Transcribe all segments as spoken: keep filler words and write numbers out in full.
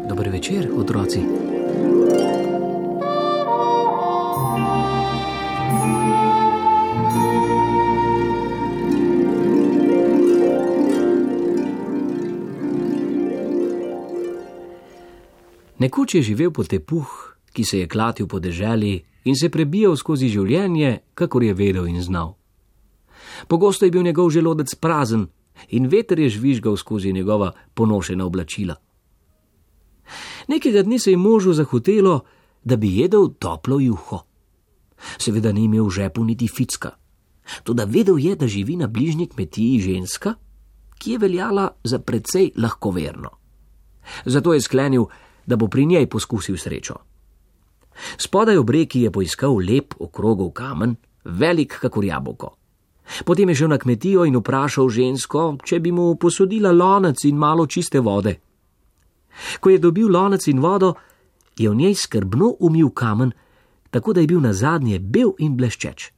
Dober večer, otroci. Nekoč je živel potepuh, ki se je klatil po deželi in se prebijal skozi življenje, kakor je vedel in znal. Pogosto je bil njegov želodec prazen in veter je žvižgal skozi njegova ponošena oblačila. Nekega dne se je možu zahotelo, da bi jedel toplo juho. Seveda ni imel v žepu niti ficka, toda vedel je, da živi na bližnji kmetiji ženska, ki je veljala za precej lahkoverno. Zato je sklenil, da bo pri njej poskusil srečo. Spodaj ob reki je poiskal lep okrogov kamen, velik kakor jabolko. Potem je šel na kmetijo in vprašal žensko, če bi mu posodila lonec in malo čiste vode. Ko je dobil lonec in vodo, je v njej skrbno umil kamen, tako da je bil nazadnje bel in bleščeč.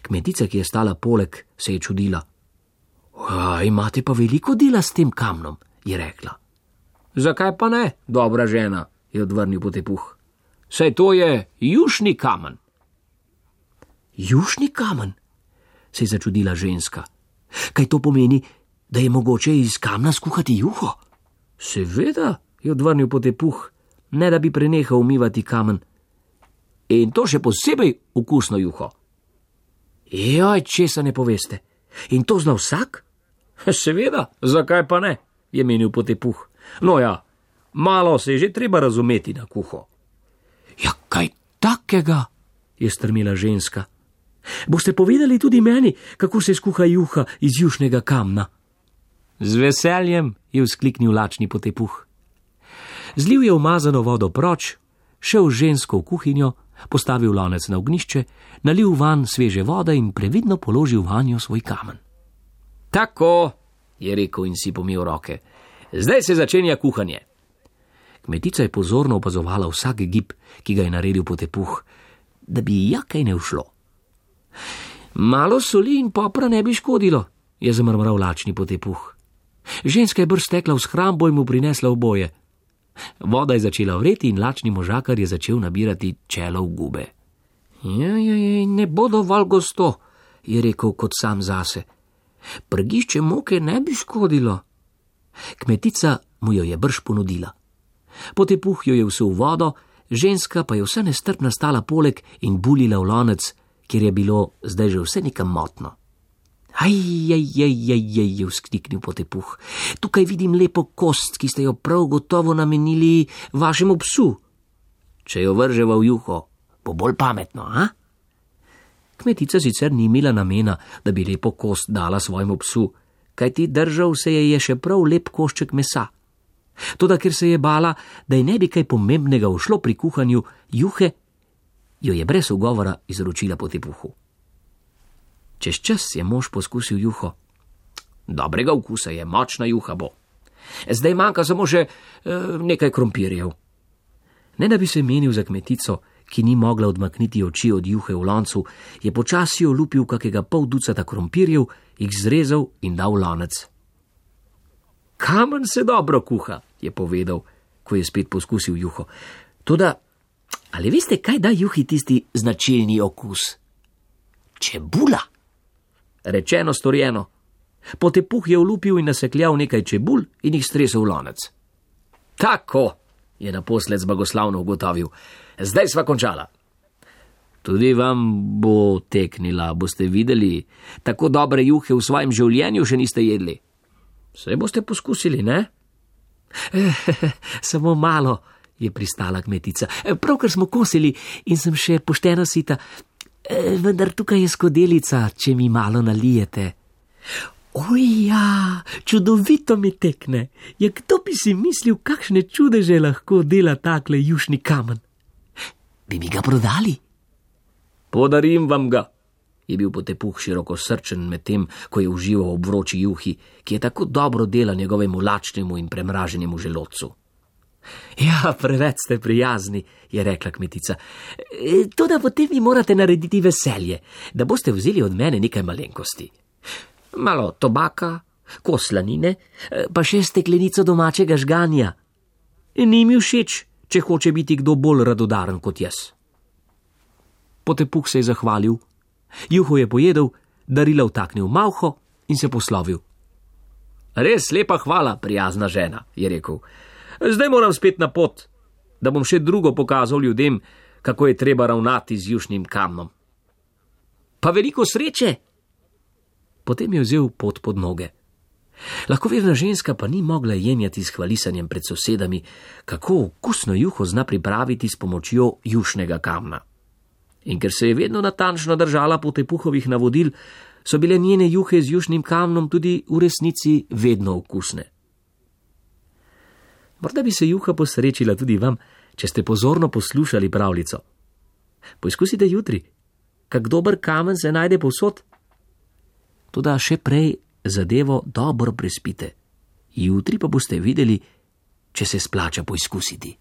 Kmetica, ki je stala poleg, se je čudila. Imate pa veliko dela s tem kamnom, je rekla. Zakaj pa ne, dobra žena, je odvrnil potepuh. Saj to je jušni kamen. Jušni kamen, se je začudila ženska. Kaj to pomeni, da je mogoče iz kamna skuhati juho? Seveda, je odvrnil potepuh, ne da bi prenehal umivati kamen. In to še posebej okusno juho. Joj, česa ne poveste? In to zna vsak? Seveda, zakaj pa ne, je menil potepuh. No ja, malo se je že treba razumeti na kuho. Ja, kaj takega, je strmila ženska. Boste povedali tudi meni, kako se skuha juha iz jušnega kamna? Z veseljem, je vzkliknil lačni potepuh. Zlil je umazano vodo proč, šel žensko v kuhinjo, postavil lonec na ognjišče, nalil vanj sveže vode in previdno položil vanjo svoj kamen. Tako, je rekel in si pomil roke. Zdaj se začenja kuhanje. Kmetica je pozorno opazovala vsak gib, ki ga je naredil potepuh, da bi ji jakaj ne ušlo. Malo soli in popra ne bi škodilo, je zamrmral lačni potepuh. Ženska je brž stekla v shrambo in mu prinesla oboje. Voda je začela vreti in lačni možakar je začel nabirati čelo v gube. Ja, ja, ja, ne bo dovolj gosto, je rekel kot sam zase. Prgišče moke ne bi škodilo. Kmetica mu jo je brž ponudila. Potepuh jo je vsul v vodo, ženska pa je vse nestrpna stala poleg in bulila v lonec, kjer je bilo zdaj že vse nekam motno. Aj, aj, aj, aj, aj, je vzkliknil potepuh. Tukaj vidim lepo kost, ki ste jo prav gotovo namenili vašemu psu. Če jo vrževa v juho, bo bolj pametno, a? Kmetica sicer ni imela namena, da bi lepo kost dala svojemu psu, kajti držal se je je še prav lep košček mesa. Toda ker se je bala, da je ne bi kaj pomembnega ušlo pri kuhanju juhe, jo je brez ugovora izročila potepuhu. Čez čas je mož poskusil juho. Dobrega okusa je, močna juha bo. Zdaj manjka samo še e, nekaj krompirjev. Ne da bi se menil za kmetico, ki ni mogla odmakniti oči od juhe v loncu, je počasi olupil kakega pol ducata krompirjev, jih zrezal in dal v lonec. Kamen se dobro kuha, je povedal, ko je spet poskusil juho. Toda, ali veste, kaj da juhi tisti značilni okus? Čebula. Rečeno, storjeno. Potepuh je olupil in nasekljal nekaj čebul in jih stresel v lonec. Tako, je naposled zbagoslavno ugotovil. Zdaj sva končala. Tudi vam bo teknila, boste videli. Tako dobre juhe v svojem življenju še niste jedli. Saj boste poskusili, ne? Samo malo, je pristala kmetica. Pravkar smo kosili in sem še pošteno sita. Vendar tukaj je skodelica, če mi malo nalijete. Oja, čudovito mi tekne. Ja, kdo bi si mislil, kakšne čudeže lahko dela takle jušni kamen? Bi mi ga prodali? Podarim vam ga, je bil Potepuh široko srčen med tem, ko je užival ob vroči juhi, ki je tako dobro dela njegovemu lačnemu in premraženemu želodcu. Ja, preveč ste prijazni, je rekla kmetica. E, toda potem mi morate narediti veselje, da boste vzeli od mene nekaj malenkosti. Malo tobaka, kos slanine, pa še steklenico domačega žganja. Ni mi všeč, če hoče biti kdo bolj radodaren kot jaz. Potepuh se je zahvalil, juho je pojedel, darila vtaknil v malho in se poslovil. Res lepa hvala, prijazna žena, je rekel. Zdaj moram spet na pot, da bom še drugo pokazal ljudem, kako je treba ravnati z jušnim kamnom. Pa veliko sreče! Potem je vzel pot pod noge. Lahkoverna ženska pa ni mogla jenjati s hvalisanjem pred sosedami, kako okusno juho zna pripraviti s pomočjo jušnega kamna. In ker se je vedno natančno držala Potepuhovih navodil, so bile njene juhe z jušnim kamnom tudi v resnici vedno okusne. Morda bi se juha posrečila tudi vam, če ste pozorno poslušali pravljico. Poizkusite jutri, kak dober kamen se najde povsod. Toda še prej zadevo dobro prespite. Jutri pa boste videli, če se splača poizkusiti.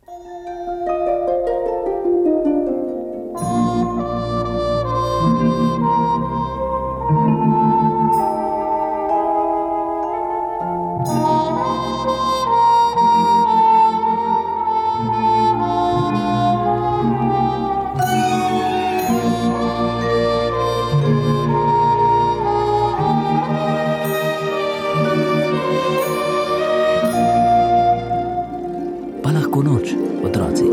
Pa lahko noč, otroci.